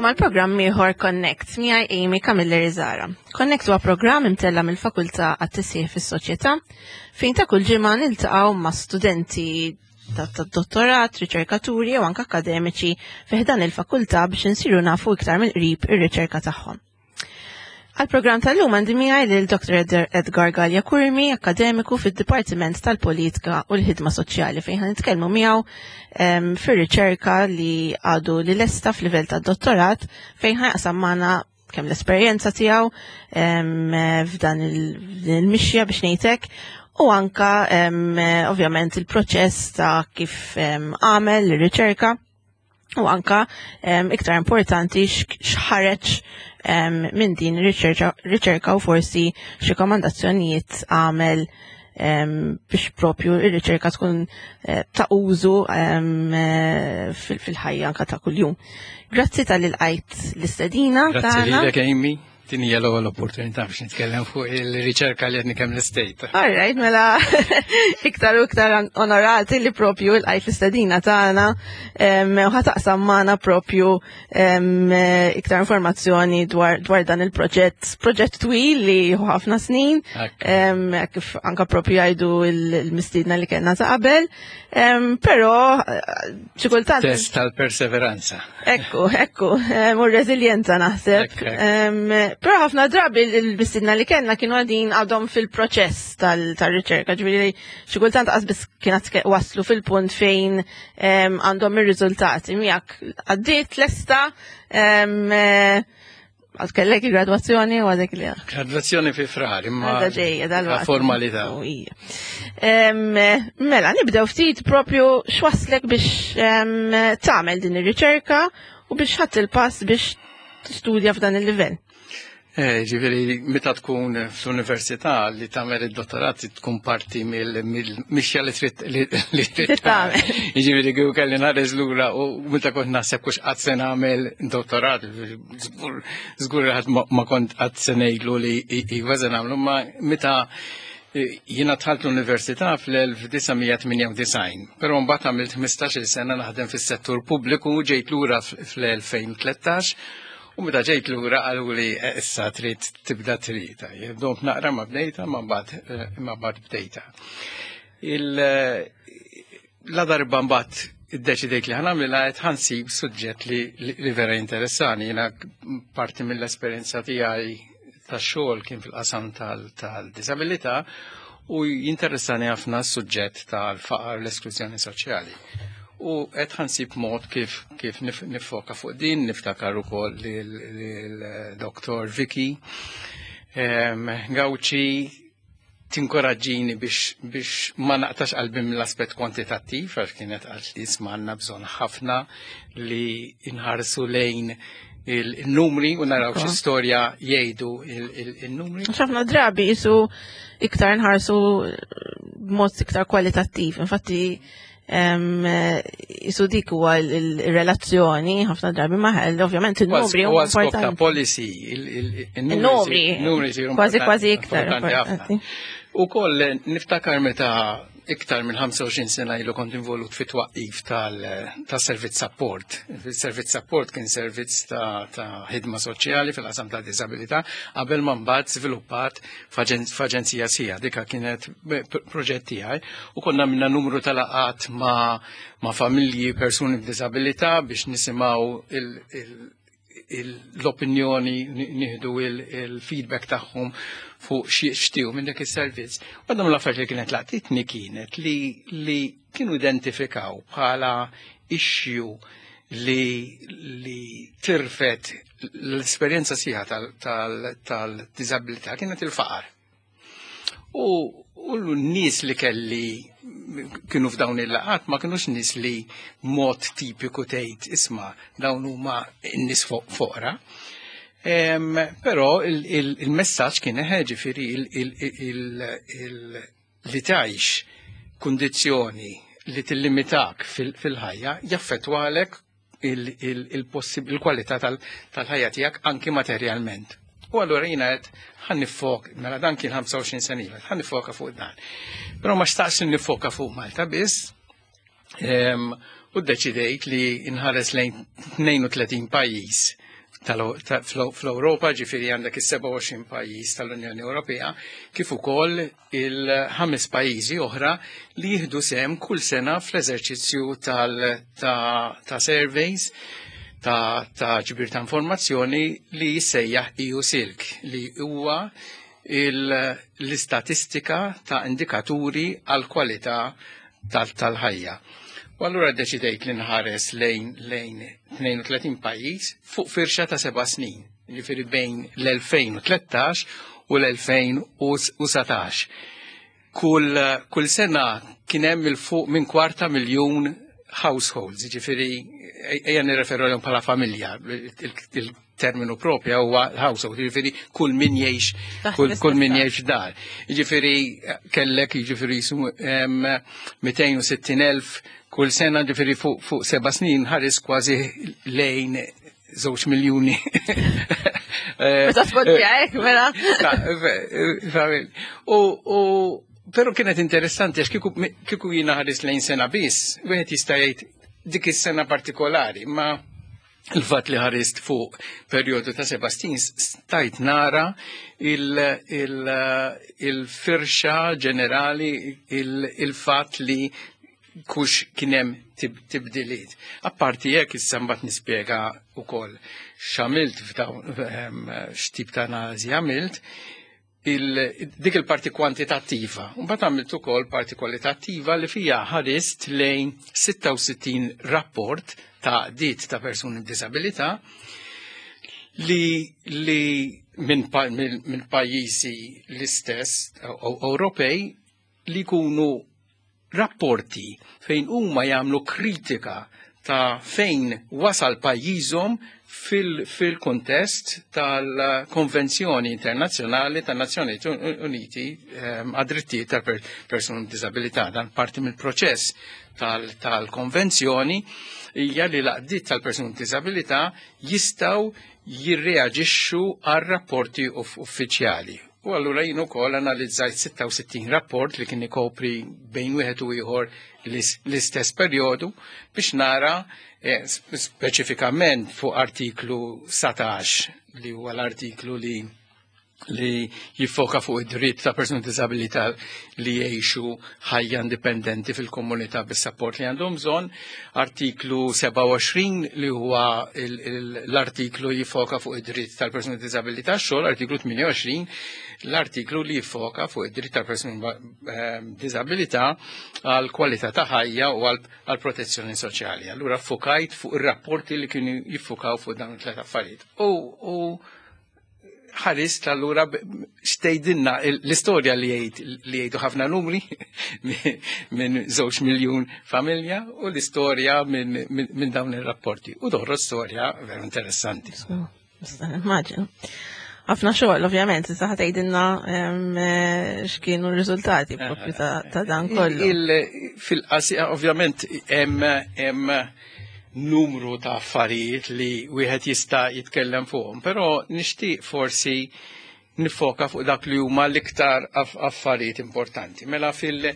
Nilqakom għal programm ieħor Connect miegħi Amy Camilleri Zara. Connect huwa programm imtella mill-Fakultà għat-Tisjih fis-Soċjetà fejn ta' kull ġimgħa niltaqgħu ma' studenti ta' dottorat, riċerkaturi u anke akademiċi fi ħdan il-fakultà biex insiru nafu iktar mill-qrib ir-riċerka tagħhom. Għal-programm tal-lum għandi miegħi lil Dr. Edgar Gallia Curmi, akademiku fid-Dipartiment tal-Politika u l-Ħidma Soċjali fejn ħan nitkellmu miegħu fir-riċerka li għadu li lesta f'livell tad-dottorat fejn ħajqsam magħna kemm l-esperjenza tiegħu f'dan il-mixja biex ngħidlek u anka ovvjament il-proċess ta' kif għamel ir-riċerka u anka iktar importanti x'ħareġ minn din riċerka u forsi x'rekomandazzjonijiet għamel biex propju ir-riċerka tkun eh, ta' użu eh, fil-ħajja anka ta' kuljum. Grazzi tal-ilqajt l-istedina. Grazzi lilek Amy. Din hija l-ewwel opportunità biex nitkellem fuq il-riċerka li qed kemm l-istejt. All right, mela iktar u iktar onorati li propju l-qajt l-istedina tagħna u ħataqsam magħna propju iktar informazzjoni dwar, dwar dan il-proġett, proġett twil li hu ħafna snin, kif anka propju jgħidu il-mistiedna li kellna ta' qabel, però xi kultant. Test tal-perseveranza. Ekku, ekku, u reżiljenza naħseb. Però ħafna drabi il-mistiedna li kellna kienu għadin għadhom fil-proċess tal-riċerka, ġifieri xi kultant qas kienet waslu fil-punt fejn għandhom ir-riżultati. Miegħek għaddiet lesta Għad kellek il-graduazzjoni u għadek li Graduazzjoni fi frar, imma. Għadha ġejja dal-waqt. Formalità. Mela, nibdew ftit propju x'waslek biex tagħmel din ir-riċerka u biex ħadd il-pass biex tistudja f'dan il-livell. Eh, ġifieri, meta tkun fl-università li tagħmel id-dottorat tkun parti mill-mixja li trid li trid tagħmel. Ġifieri kieku kelli nħares lura u meta kont naħseb kux qatt se nagħmel dottorat, żgur ħadd ma kont qatt se ngħidlu li iva se nagħmlu, ma meta eh, jiena dħalt l-università fl-1998, però mbagħad għamilt 15-il sena naħdem fis-settur pubbliku ġejt lura fl-2013 U meta ġejt lura qaluli eh, issa trid tibda trita. Domt naqra ma bdejta ma mbagħad eh, ma mbagħad bdejta. Il eh, la darba mbagħad iddeċidejt li ħanamilha qed ħansib suġġett li, li vera interessani. Jiena parti mill-esperjenza tiegħi tax-xogħol kien fil-qasam tal-disabilità u jinteressani ħafna s-suġġett tal-faqar l-esklużjoni soċjali. U qed ħansib mod kif kif nifoka fuq din, niftakar ukoll lil-Dr. Vicky Gauci tinkoraġġini biex, biex ma naqtax qalbi mill-aspett kwantitattiv għax kienet għalt li għandna bżonn ħafna li nħarsu lejn il-numri u naraw xi storja jgħidu il-numri. Ħafna drabi jisu iktar nħarsu b'mod iktar kwalitattiv. Infatti jisu dik huwa il-relazzjoni ħafna drabi maħel, ovvjament il-numri huwa importanti. Policy, il-numri, kważi kważi iktar. U koll niftakar meta iktar minn 25 sena ilu kont involut fit twaqqif tal-servizz support. Il-servizz support kien servizz ta' ħidma soċjali fil-qasam ta' disabilità qabel ma mbagħad żviluppat f'aġenzija sija. Dika kienet proġett tiegħi u konna minna numru ta' laqat ma' familji persuni b'disabilità biex nisimgħu l-opinjoni, nieħdu il-feedback tagħhom fuq xtiju minn dak is-servizz. Waħda mill-affarijiet li kienet laqtitni kienet li, li kienu identifikaw bħala issue li, li tirfet l-esperjenza sieħa tal-disabilità kienet il-faqar. U, u l-nies li kelli kienu f'dawn il-laqat ma kienux nies li mod tipiku tgħid isma' dawn huma n-nies foqra. Però il-messaġġ kien ġifieri li tgħix kundizzjoni li tillimitak fil-ħajja jaffettwalek il-kwalità tal-ħajja tiegħek anki materjalment. U allura jiena qed ħan nifok, mela dan kien 25 sena ilu, ħan nifoka fuq dan. Però ma xtaqx nifoka fuq Malta biss, u ddeċidejt li nħares lejn 32 pajjiż. fl-Ewropa, ġifieri għandek is-27 pajjiż tal-Unjoni Ewropea, kif ukoll il-ħames pajjiżi oħra li jieħdu sehem kull sena fl-eżerċizzju ta' surveys ta' ġbir ta' informazzjoni li jissejjaħ EU Silk, li huwa l-istatistika ta' indikaturi għal kwalità tal-ħajja. U allura deċidejt li nħares lejn 32 pajjiż fuq firxa ta' 7 snin, jiġifieri bejn l-2013 u l-2019. Kull sena kien hemm 'il fuq minn kwarta miljun households, jiġifieri ejja nirreferu għalihom bħala familja, il-terminu propja huwa household, jiġifieri kull min jgħix kull min jgħix dar. Jiġifieri kellek jiġifieri 260,000 kull sena, jiġifieri fuq 7 snin ħares kważi lejn 2 miljuni. Meta tpoġġi hekk, mela. U pero kienet interessanti għax kieku jiena ħares lejn sena biss, wieħed jista' jgħid dik is-sena partikolari, ma il-fatt li ħarist fuq perjodu ta' 7 snin stajt nara il-firxa ġenerali, il-fatt li kux kien hemm tibdiliet. Apparti jekk issa mbagħad nispjega wkoll x'għamilt f'dawn, x'tip ta' analiżi għamilt, dik il-parti kwantitattiva. Mbagħad għamilt ukoll parti kwalitattiva li fija ħarist lejn 66 rapport ta' dit ta' persuni b'disabilità li minn pajjiżi l-istess Ewropej li jkunu rapporti fejn huma jagħmlu kritika ta' fejn wasal pajjiżhom fil-kontest tal-Konvenzjoni Internazzjonali tan-Nazzjonijiet Uniti għad-drittijiet tal-persuni b'disabilità. Dan parti mill-proċess tal-konvenzjoni hija li l-għaqdiet tal-persuni b'disabilità jistgħu jirreaġixxu għal rapporti uffiċjali. U allura jien ukoll analizzajt 66 rapport li kien ikopri bejn wieħed u ieħor l-istess perjodu biex nara speċifikament fuq artiklu 17, li huwa l-artiklu li jiffoka fuq id-dritt ta' persuni disabilità li jgħixu ħajja indipendenti fil-komunità bis-support li għandhom bżonn, artiklu 27 li huwa l-artiklu jiffoka fuq id-dritt tal-persuni disabilità xogħol, artiklu 28 l-artiklu li jiffoka fuq id-dritt tal-persuni disabilità għal kwalità ta' ħajja u għal protezzjoni soċjali. Allura fokajt fuq ir-rapporti li kienu jiffokaw fuq dawn it-tlet affarijiet. U ħarist allura x'tgħidilna l-istorja li jgħidu ħafna numri minn 2 miljun familja u l-istorja minn dawn ir-rapporti. U toħroġ storja veru interessanti. Nista' nimmaġina. Ħafna xogħol, ovvjament, issa ħa tgħidilna x'kienu r-riżultati propju ta' dan kollu. Fil-qasir, ovvjament, hemm numru ta' affarijiet li wieħed jista' jitkellem fuqhom, però nixtieq forsi nifoka fuq dak li huma l-iktar affarijiet importanti. Mela fil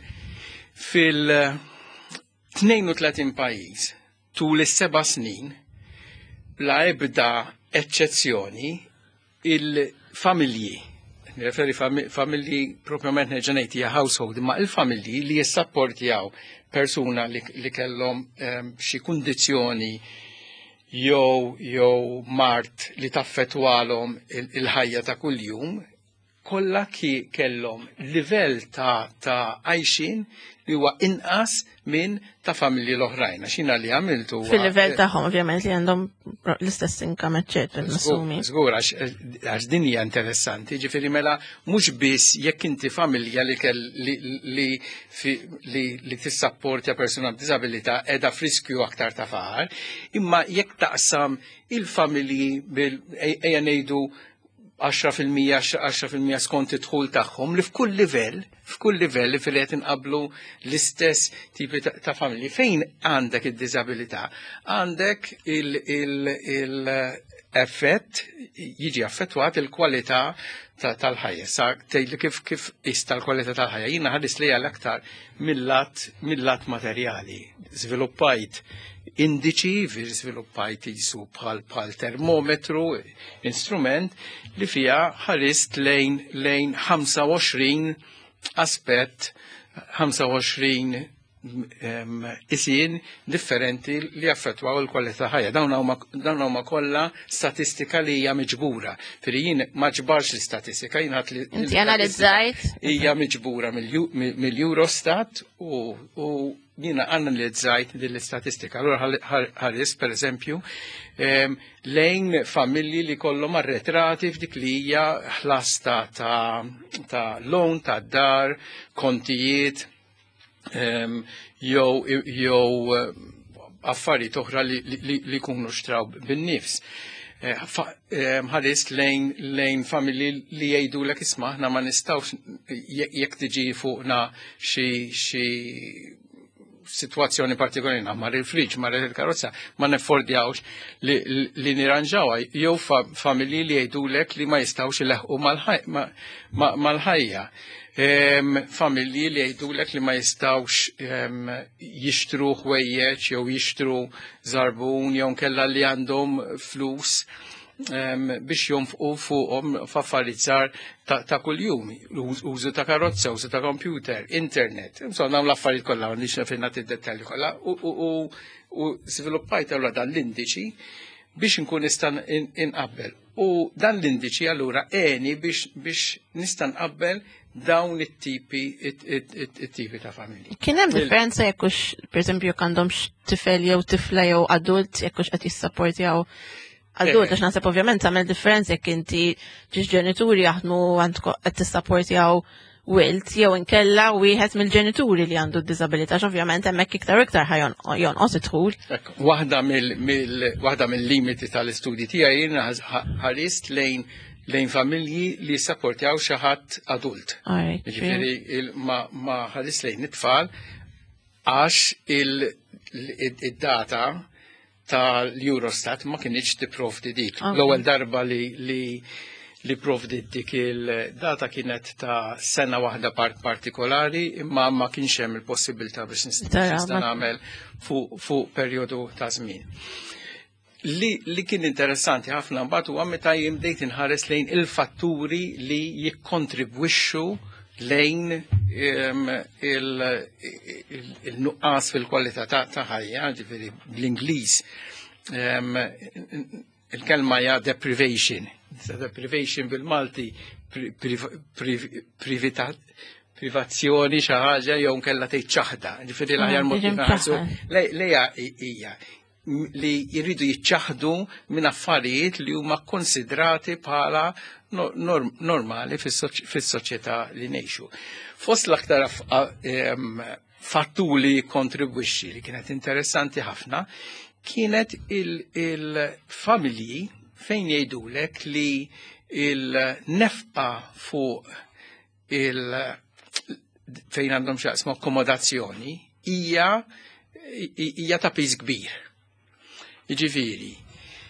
32 pajjiż tul is-7 snin, bla ebda eċċezzjoni, il-familji, nirreferi familji propjament nerġa' ngħid hija household, imma il-familji li jissapportjaw persuna li kellhom xi kundizzjoni jew mard li taffetwalhom il-ħajja ta' kuljum, kollha ki kellhom livell ta' għajxin li huwa inqas minn ta' familji l-oħrajn. Għax jiena li għamiltu Fil-livell tagħhom, ovvjament, li għandhom l-istess income, eċċetera, nassumi. Żgur, għax din hija interessanti, ġifieri mela mhux biss jekk inti familja li kell li li fi- li, li tissapportja persuna b'diżabilità qiegħda f'riskju aktar ta' faqar, imma jekk taqsam il-familji bil ejja ngħidu 10% 10% skont id-dħul tagħhom li f'kull livell li fil-qed inqablu l-istess tipi ta' familji fejn għandek id-diżabilità, għandek il, il, il effett jiġi affettwat il-kwalità tal-ħajja. Sa tgħidli kif ista l-kwalità tal-ħajja. Jiena ħares li l-aktar mill-lat materjali. Żviluppajt indiċi, żviluppajt jisu bħal termometru, instrument li fija ħarist lejn 25 aspett, 25 isin differenti li affettwaw il-kwalità ħajja. Dawn huma kollha statistika li hija miġbura. Firri jien ma ġbarx l-istatistika, jien ħadd li Inti analizzajt? Hija miġbura mill-Eurostat u jiena analizzajt din l-istatistika. Allura ħares pereżempju lejn familji li kollhom arretrati f'dik li hija ħlas ta' loan, ta' dar, kontijiet, jew affarijiet oħra li jkunu xtraw bin-nifs. Ħarist lejn familji li jgħidulek isma' aħna ma nistgħux jekk tiġi fuqna xi situazzjoni partikolari, mar il-friġ, mar il-karozza, ma neffordjawx li niranġawha, jew familji li jgħidulek li ma jistgħux ileħqu mal-ħajja. Familji li jgħidulek li ma jistgħux jixtru ħwejjeġ jew jixtru żarbun jew nkella li għandhom flus biex jonfqu fuqhom f'affarijiet żgħar ta' kuljum, użu ta' karozza, użu ta' computer, internet. Insomma, dawn l-affarijiet kollha m'għandix fejn nagħti d-dettalji kollha u żviluppajt allura dan l-indiċi biex nkun nista' inqabbel. U dan l-indiċi allura għeni biex nista' nqabbel dawn it-tipi ta' familji. Kien hemm differenza jekk hux, pereżempju, jekk għandhomx tifel jew tifla jew adult, jekk hux qed jissapportjaw adult, għax naħseb ovvjament tagħmel differenza jekk inti ġiex ġenituri jaħdmu għandkom qed tissapportjaw wild jew inkella wieħed mill-ġenituri li għandu d-diżabilità, għax ovvjament hemmhekk iktar u iktar ħa jonqos id-dħul. Waħda mill-limiti tal-istudji tiegħi jiena ħarist lejn familji li sapportjaw xi ħadd adult. Jiġifieri ma ħarist lejn it-tfal għax id-data tal-Eurostat ma kienx tipprovdi dik. L-ewwel darba li provdi dik il-data kienet ta' sena waħda partikolari, imma ma kienx hemm il-possibilità biex nista' nagħmel fuq perjodu ta' żmien. Li kien interessanti ħafna mbagħad huwa meta jien bdejt inħares lejn il-fatturi li jikkontribwixxu lejn il-nuqqas fil-kwalità ta' ħajja, ġifieri bl-Ingliż il-kelma hija deprivation. Deprivation bil-Malti privazzjoni xi ħaġa jew nkella tgħid ċaħda. Ġifieri l-aħjar mod kif nħarsu lejha hija li jridu jiċċaħdu minn affarijiet li huma konsidrati bħala normali fis-soċjetà li ngħixu. Fost l-aktar fatturi li kontribwixxi li kienet interessanti ħafna kienet il-familji fejn jgħidulek li il-nefqa fuq il fejn għandhom x'jaqsmu akkomodazzjoni hija ta' piż kbir. Jiġifieri,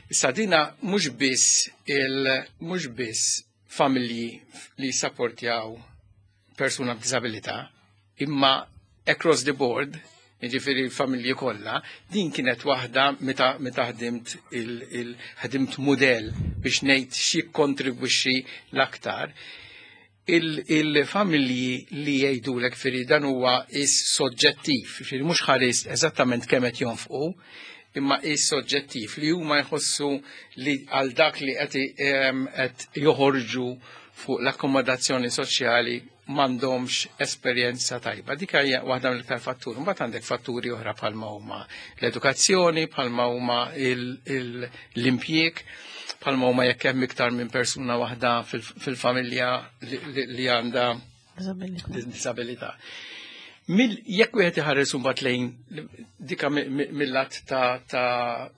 issa dina mhux biss familji li sapportjaw persuna b'disabilità, imma across the board, jiġifieri l-familji kollha, din kienet waħda meta ħdimt ħdimt mudell biex ngħid xi kontribwixxi l-aktar. Il-familji li jgħidulek firri dan huwa is soġġettiv, firri mhux ħares eżattament kemm qed jonfqu, imma is soġġettiv li huma jħossu li għal dak li qed joħorġu fuq l-akkomodazzjoni soċjali m'għandhomx esperjenza tajba. Dik hija waħda mill-iktar fatturi. Mbagħad għandek fatturi oħra bħalma huma l-edukazzjoni, bħalma huma l-impjieg, bħalma huma jekk hemm iktar minn persuna waħda fil-familja li għandha disabilità. Jekk wieħed iħares imbagħad lejn dika mill-lat ta'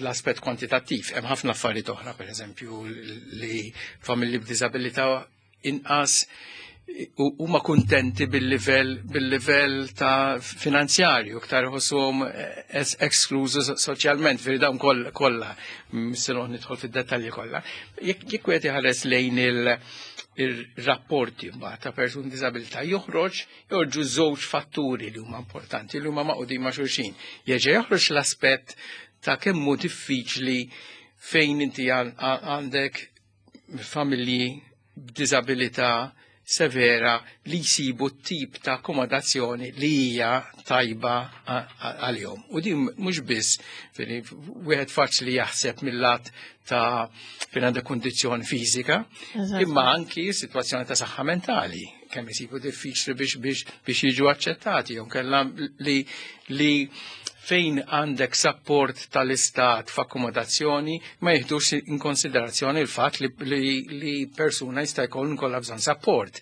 l-aspett kwantitattiv, hemm ħafna affarijiet oħra, pereżempju li familji b'diżabilità inqas Huma kuntenti bil-livell ta' finanzjarju, iktar iħossuhom esklużi soċjalment, firri dawn kollha, se noqgħod nidħol fid-dettalji kollha. Jekk wieħed iħares lejn il-rapporti mbagħad ta' persuni b'diżabilità joħroġ joħorġu żewġ fatturi li huma importanti li huma maqudin ma' xulxin. Jerġa' joħroġ l-aspett ta' kemm hu diffiċli fejn inti għandek familji b'diżabilità severa li jsibu tip ta' akkomodazzjoni li hija tajba għalihom. U din mhux biss wieħed faċli jaħseb mill-lat ta' fejn għandek kundizzjoni fiżika, imma anki sitwazzjoni ta' saħħa mentali, kemm isibu diffiċli biex jiġu aċċettati, jew kellha li fejn għandek support tal-istat f'akkomodazzjoni ma jiħdux in konsiderazzjoni il-fatt li persuna jista' jkun kollha bżonn support.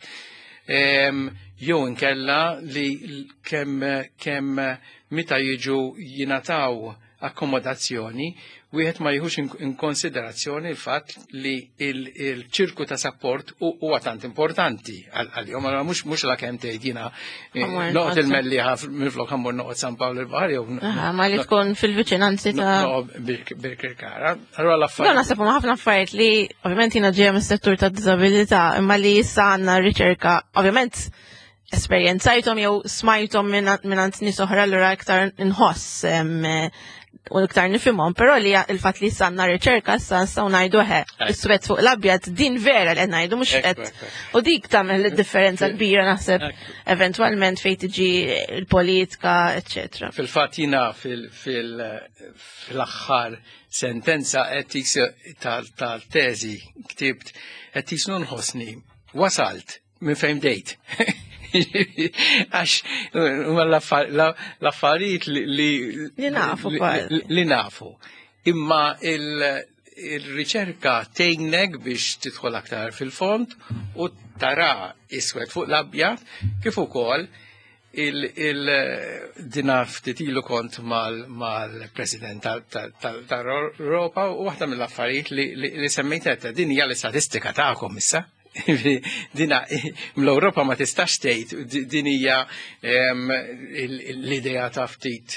Jew inkella li kemm meta jiġu jingħataw akkomodazzjoni, wieħed ma jieħux in konsiderazzjoni l-fatt li il-ċirku ta' support huwa tant importanti għalihom, allura mhux la kemm tgħid jiena noqgħod il-Mellieħa minflok ħa mmur noqgħod San Pawl il-Baħar jew Ma li tkun fil-viċinanzi ta' Birkirkara. Allura l-affarijiet. No, naħseb huma ħafna affarijiet li ovvjament jiena ġejja mis-settur ta' diżabilità, imma li issa għandna riċerka, ovvjament esperjenzajthom jew smajthom minn nies oħra allura iktar inħoss u iktar nifhimhom, però li il-fatt li issa għandna riċerka issa nistgħu ngħidu ħe, is-swed fuq l-abjad din vera li qed ngħidu mhux qed u dik tagħmel differenza kbira naħseb eventwalment fejn tiġi l-politika, eċċetera. Fil-fatt jiena fil-aħħar sentenza qed tal-teżi ktibt qed jisnu nħossni wasalt minn fejn bdejt. Għax l-affarijiet li Li nafu li nafu. Imma il-riċerka tgħinek biex tidħol aktar fil-fond u tara iswed fuq l-abjad kif ukoll il-dina ftit ilu kont mal-president tal-Europa u waħda mill-affarijiet li semmejt din hija l-istatistika tagħkom issa. Dina l-Ewropa ma tistax tgħid din hija l-idea ta' ftit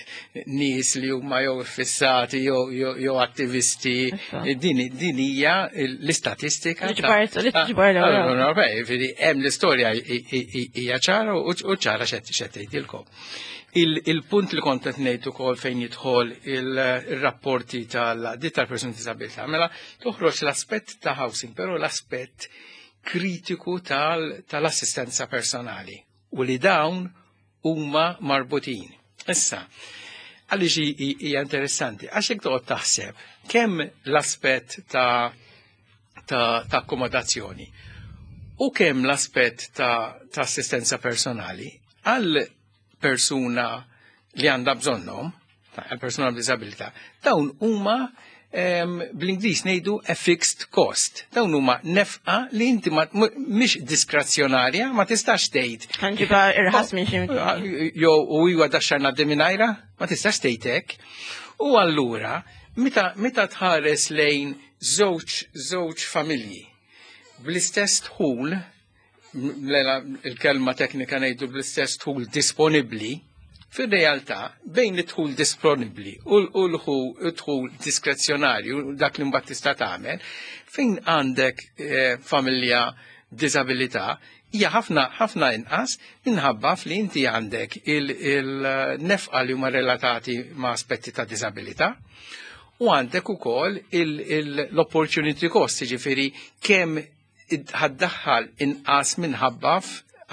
nies li huma jew fissati jew attivisti. Din hija l-istatistika. L-Ewropa. Hemm l-istorja hija ċara u ċara x'qed tgħidilkom. Il-punt li kont qed ngħid ukoll fejn jidħol il-rapporti tal-ditt tal-persuni disabilità, mela toħroġ l-aspett ta' housing, però l-aspett kritiku tal-assistenza personali u li dawn huma marbutin. Issa, għaliex hija interessanti, għax jekk toqgħod taħseb kemm l-aspett ta' akkomodazzjoni u kemm l-aspett ta' assistenza personali għal persuna li għandha bżonnhom, għal persuna b'diżabilità, dawn huma bl-Ingliż ngħidu a fixed cost. Dawn huma nefqa li inti mhix diskrezzjonarja, ma tistax tgħid. Ħa nġibha irħas minn xi. Jew u iwa daxxar ngħaddi mingħajra, ma tistax tgħid hekk. U allura meta tħares lejn żewġ familji bl-istess dħul, il-kelma teknika ngħidu bl-istess dħul disponibbli, fil-realtà bejn id-dħul disponibbli u l-dħul diskrezzjonarju, dak li mbagħad tista' tagħmel, fejn għandek familja b'diżabilità hija ħafna ħafna inqas minħabba li inti għandek il-nefqa li huma relatati ma' aspetti ta' diżabilità u għandek ukoll l-opportunity cost, jiġifieri kemm ħa ddaħħal inqas minħabba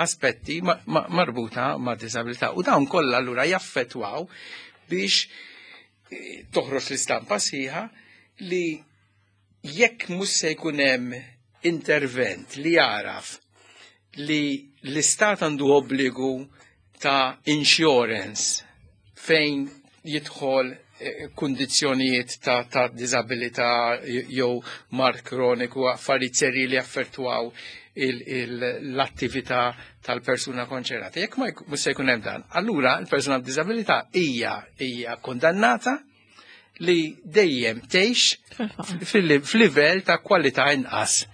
aspetti marbuta ma' disabilità. U dawn kollha allura jaffettwaw biex toħroġ l-istampa sħiħa li jekk mhux se jkun hemm intervent li jaraf li l-istat għandu obbligu ta' insurance fejn jidħol kundizzjonijiet ta' disabilità jew mard kroniku, affarijiet serji li affettwaw l-attività tal-persuna konċernata. Jekk ma mhux se jkun hemm dan, allura l-persuna b'diżabilità hija kondannata li dejjem tgħix fil-livell ta' kwalità inqas.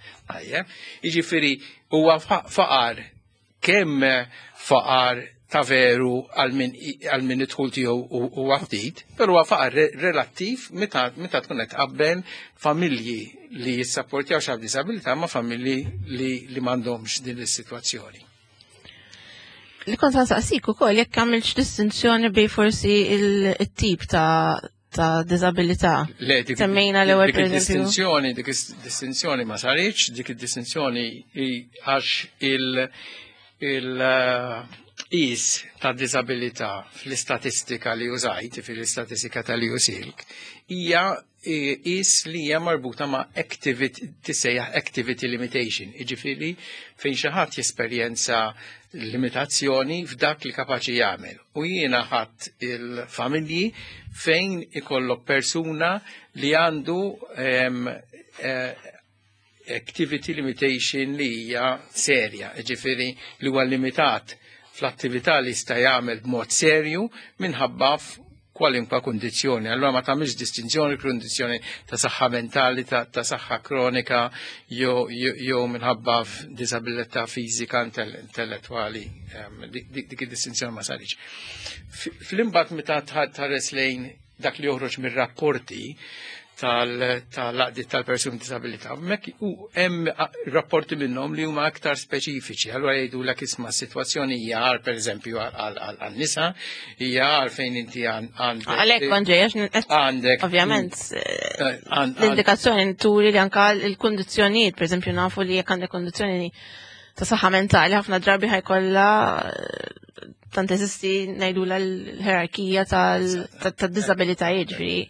Jiġifieri huwa faqar. kemm faqar ta' veru għal min id-dħul tiegħu huwa ftit, però huwa faqar relattiv meta tkun qed tqabbel familji li jissapportjaw xi disabilità ma' familji li m'għandhomx din is-sitwazzjoni. Li kont nsaqsik ukoll jekk għamilx distinzjoni bej forsi il-tip ta' disabilità. Le, dik Semmejna l-ewwel dik id-distinzjoni, dik id-distinzjoni ma saritx, dik id-distinzjoni għax il-qis ta' disabilità fl-istatistika li użajt, fil-istatistika tal-EU-SILC, hija qis li hija marbuta ma' activity, tissejjaħ activity limitation, jiġifieri fejn xi ħadd jesperjenza limitazzjoni f'dak li kapaċi jagħmel. U jiena ħadd il-familji fejn ikollok persuna li għandu activity limitation li hija serja, jiġifieri li huwa limitat fl-attività li jista' jagħmel b'mod serju minħabba kwalinkwa kundizzjoni. Allura ma tagħmilx distinzjoni kundizzjoni ta' saħħa mentali, ta' saħħa kronika jew minħabba f'disabilità fiżika intellettwali. Dik id-distinzjoni ma saritx. Fl-imbagħad meta tħares lejn dak li joħroġ mir-rapporti tal-għaqdiet tal-persuni b'disabilità, hemmhekk u hemm rapporti minnhom li huma aktar speċifiċi. Allura jgħidulek isma' s-sitwazzjoni hija għar pereżempju għan-nisa, hija għar fejn inti għandek. Għalhekk kont ġej, għax Għandek ovvjament, l-indikazzjoni turi li anka l-kundizzjonijiet, pereżempju nafu li jekk għandek kundizzjoni ta' saħħa mentali ħafna drabi ħajkollha tant eżisti ngħidu l-ħerarkija tad-disabilitajiet, ġifieri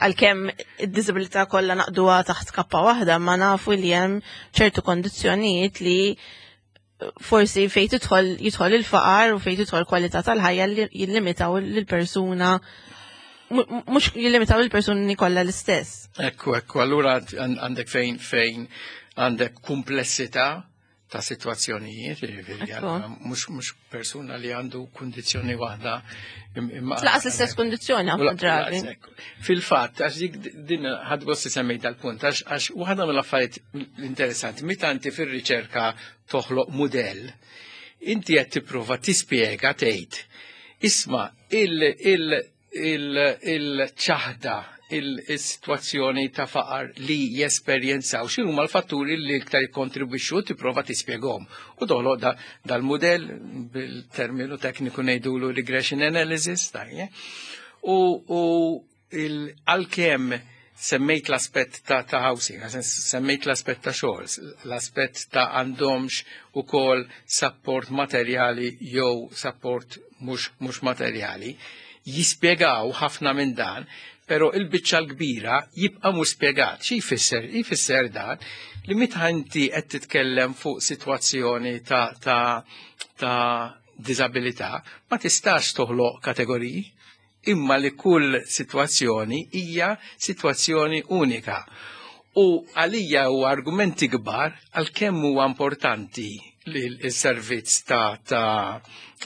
għalkemm id-disabilità kollha naqduha taħt kappa waħda, ma nafu li hemm ċertu kondizzjonijiet li forsi fejn jidħol il-faqar u fejn tidħol kwalità tal-ħajja li jillimitaw lill-persuna, mhux jillimitaw lill-persuni kollha l-istess. Ekku, ekku, allura għandek fejn għandek kumplessità ta' situazzjonijiet, jiġifieri mhux persuna li għandu kundizzjoni waħda imma Laqas l-istess kundizzjoni ħafna drabi. Fil-fatt, għax dik din ħadd gost semmejt dal-punt, għax waħda mill-affarijiet interessanti, meta inti fir-riċerka toħloq mudell, inti qed tipprova tispjega tgħid, isma' il-ċaħda il-situazzjoni ta' faqar li jesperjenzaw, x'inhu huma l-fatturi li iktar jikkontribwixxu, tipprova tispjegahom. U toħloq dal-mudell bil-terminu tekniku ngħidulu regression analysis, tajje. U għalkemm semmejt l-aspett ta' housing, semmejt l-aspett ta' xogħol, l-aspett ta' għandhomx ukoll support materjali jew support mhux materjali, jispjegaw ħafna minn dan, pero il-biċċa l-kbira jibqa' mhux spjegat. Xi jfisser? Jfisser dan li meta inti qed titkellem fuq sitwazzjoni ta' disabilità, ma tistax toħloq kategoriji, imma li kull sitwazzjoni hija sitwazzjoni unika. U għalija u argumenti kbar għal kemm huwa importanti li l-servizz ta'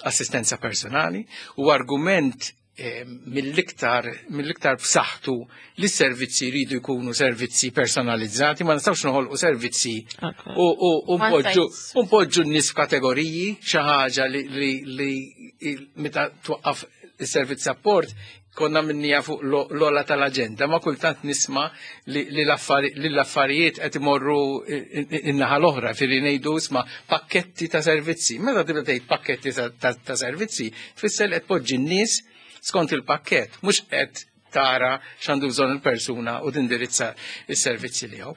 assistenza personali, u argument mill-iktar b'saħħtu li s-servizzi jridu jkunu servizzi personalizzati, ma nistgħux noħolqu servizzi u npoġġu n-nies f'kategoriji, xi ħaġa li meta twaqqaf is-servizz support konna minnija fuq l-ola tal-aġenda, ma kultant nisma li l-affarijiet qed imorru in-naħa l-oħra, firri ngħidu isma' pakketti ta' servizzi. Meta tibda tgħid pakketti ta' servizzi, tfisser li qed poġġi n-nies skont il-pakkett, mhux qed tara x'għandu bżonn il-persuna u tindirizza s-servizzi li hawn.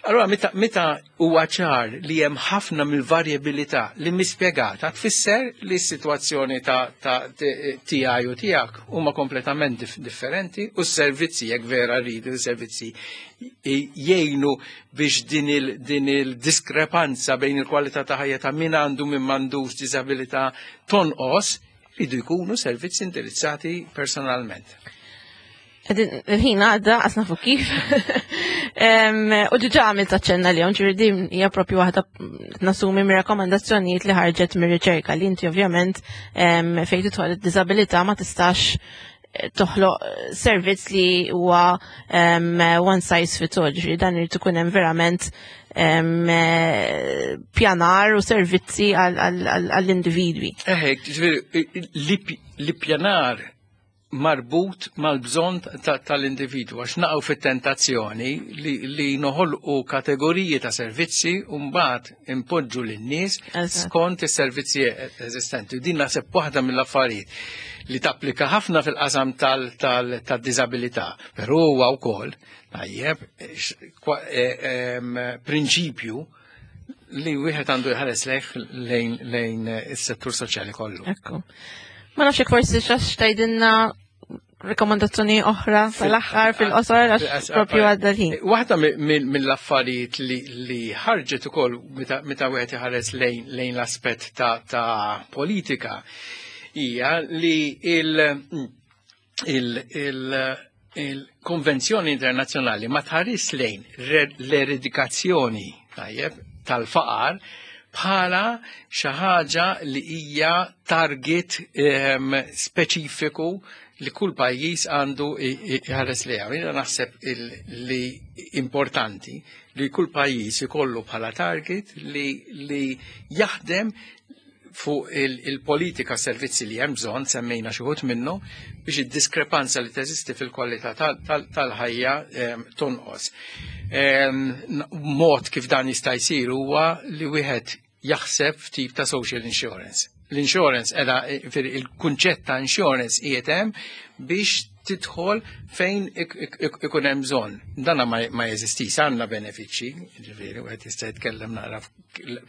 Allora meta huwa ċar li hemm ħafna mill-varjabilità li mispjegata, tfisser li s-sitwazzjoni ta' tiegħi u tiegħek huma kompletament differenti, u s-servizzi jekk vera rridu s-servizzi jgħinu biex din il-diskrepanza bejn il-kwalità ta' ħajja ta' min għandu min m'għandux diżabilità tonqos, ridu jkunu servizzi indirizzati personalment. Il-ħin għadda, għasna fuq kif. U ġiġa għamilt aċċenna li ġifieri din hija propju waħda nasumi mir-rakkomandazzjonijiet li ħarġet mir-riċerka li inti ovvjament fejn tidħol id-diżabilità ma tistax toħloq servizz li huwa one size fits all, ġifieri dan irid ikun hemm verament pjanar u servizzi għall-individwi. Eħe, ġifieri li pjanar marbut mal-bżonn tal-individwu, għax naqgħu fit-tentazzjoni li noħolqu kategoriji ta' servizzi u mbagħad impoġġu lin-nies skont is-servizzi eżistenti. Din naħseb waħda mill-affarijiet li tapplika ħafna fil-qasam tad-diżabilità, però huwa wkoll tajjeb prinċipju li wieħed għandu jħares lejn is-settur soċjali kollu. Ekku. Ma nafx forsi xax tgħidilna rekomandazzjoni oħra tal-aħħar fil-qosor għax propju għadda l-ħin. Waħda mill-affarijiet li ħarġet ukoll meta wieħed iħares lejn l-aspett ta' politika hija li il-konvenzjoni internazzjonali ma tħares lejn l-eradikazzjoni tajjeb tal-faqar bħala xi ħaġa li hija target speċifiku li kull pajjiż għandu jħares lejha. Jiena naħseb li importanti li kull pajjiż ikollu bħala target li jaħdem fuq il-politika servizzi li hemm bżonn, semmejna xi wħud minnu, biex id-diskrepanza li teżisti fil-kwalità tal-ħajja tonqos. Mod kif dan jista' jsir huwa li wieħed jaħseb f'tip ta' social insurance. L-insurance edha il-kunċett ta' insurance qiegħed hemm biex tidħol fejn ikun hemm bżonn. Dana ma jeżistix, għandna benefiċċji, ġifieri wieħed jista' jitkellem naqra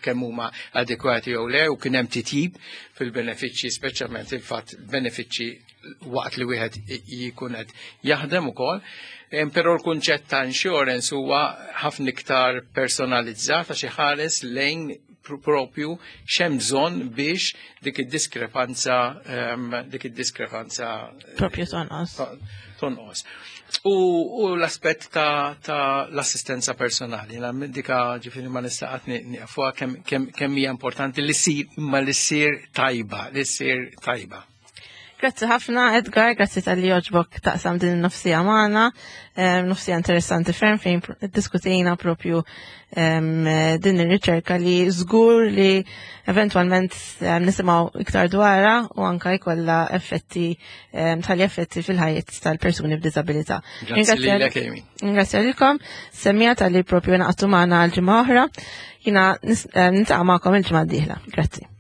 kemm huma adekwati jew le u kien hemm titjib fil-benefiċċji, speċjalment il-fatt benefiċċji waqt li wieħed jkun qed jaħdem ukoll. Però l-kunċett ta' insurance huwa ħafna iktar personalizzat għax iħares lejn propju x'hemm bżonn biex dik id-diskrepanza dik id-diskrepanza propju tonqos. Tonqos. U l-aspett ta' l-assistenza personali, dika ġifieri ma nista' qatt nieqfuha kemm hija importanti li ssir imma li ssir tajba, li ssir tajba. Grazzi ħafna Edgar, grazzi tal-li għoġbok taqsam din il-nofsija magħna, nofsija interessanti ferm fejn diskutejna propju din ir-riċerka li żgur li eventwalment nisimgħu iktar dwarha u anka jkollha effetti tal effetti fil-ħajjet tal-persuni b'diżabilità. Grazzi lilek Amy. Ringrazzja lilkom, semmija tal-li propju naqtu magħna għal ġimgħa oħra. Jiena niltaqa' magħkom il-ġimgħa d-dieħla. Grazzi.